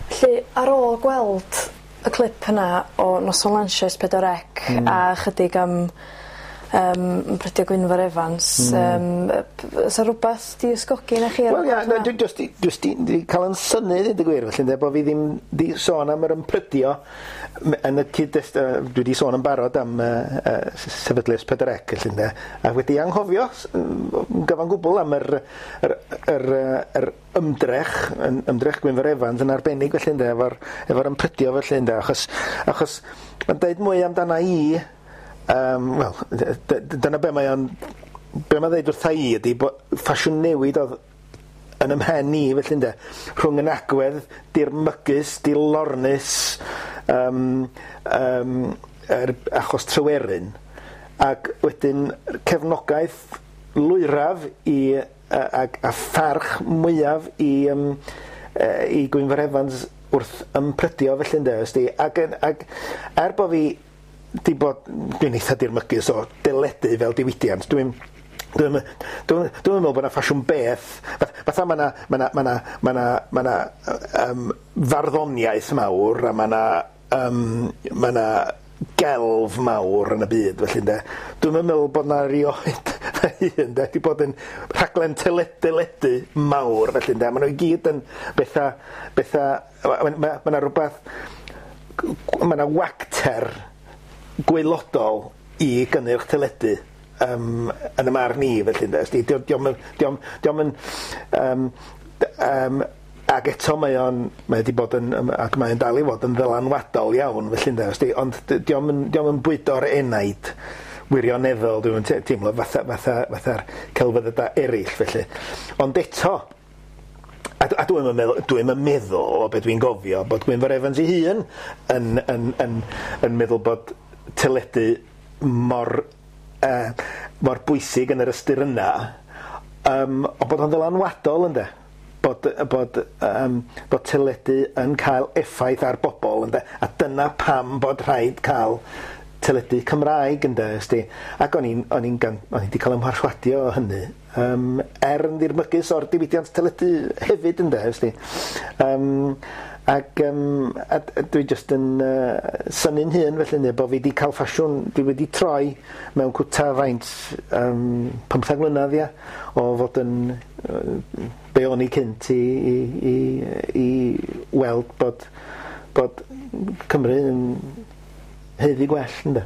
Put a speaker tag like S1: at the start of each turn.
S1: Felly ar ôl gweld y clip yna o noson lansio Es Pedwar Ec a chydig am ymprydio Gwynfor Evans o's 'a rwbath 'di ysgogi 'na chi ar ôl
S2: Wel ia
S1: gweld
S2: na
S1: hwnna?
S2: dwi jyst 'di jyst 'di 'di ca'l 'yn synnu ddeud y gwir felly ynde bo' fi ddim 'di sôn am yr ymprydio yn y cyd-dest- dwi 'di sôn yn barod am sefydlu S4C felly ynde a wedi anghofio yn gyfan gwbl am yr yr yr yr ymdrech yn ymdrech Gwynfor Evans yn arbennig felly ynde efo'r efo'r ymprydio felly ynde achos achos ma'n deud mwy amdana i wel dyna be mae o'n be mae'n ddeud wrtha i ydy bo' ffasiwn newid oedd yn 'y mhen i felly ynde rhwng yn agwedd dirmygus, dilornus yr achos Tryweryn ac wedyn cefnogaeth lwyraf i ag a pharch mwyaf i i Gwynfor Evans wrth ymprydio felly ynde ysdi ac yn ac er bo' fi 'di bod dwi'n eitha dirmygus o deledu fel diwydiant dwi'n dwi'n dwi'n dwi'm yn meddwl bod 'na ffasiwn beth fatha ma' 'na ma' 'na ma' 'na ma' 'na ma' 'na farddoniaeth mawr a ma' 'na ma' 'na gelf mawr yn y byd felly ynde dwi'm yn meddwl bod 'na erioed fy hun de 'di bod yn rhaglen deledu mawr felly ynde ma' nhw i gyd yn betha betha ma' ma' ma' 'na rwbath ma' 'na wacter gwaelodol i gynnyrch teledu yn y marn i felly ynde ysdi dio'm yn dio'm dio'm yn ag eto mae o'n mae 'di bod yn ac mae'n dal i fod yn ddylanwadol iawn felly ynde ysdi ond dio'm yn dio'm yn bwydo'r enaid wirioneddol dwi'm yn teimlo fatha fatha fatha'r celfyddydau eraill felly ond eto a dwi'm yn meddwl dwi'm yn meddwl o be dwi'n gofio bod Gwynfor Evans ei hun yn yn yn yn meddwl bod teledu mor mor bwysig yn yr ystyr yna ond bod o'n ddylanwadol ynde bod bod bod teledu yn cael effaith ar bobl ynde a dyna pam bod rhaid cael teledu Cymraeg ynde ysdi ac o'n i'n o'n i'n gan o'n i 'di cael 'y mharswadio o hynny er yn ddirmygus o'r diwydiant teledu hefyd ynde ysdi ac a dwi jyst yn synnu'n hun felly ynde bo' fi 'di cael ffasiwn dwi wedi troi mewn cwta faint 15 mlynedd ia o fod yn be o'n i cynt i i i i weld bod bod Cymru yn haeddu gwell ynde.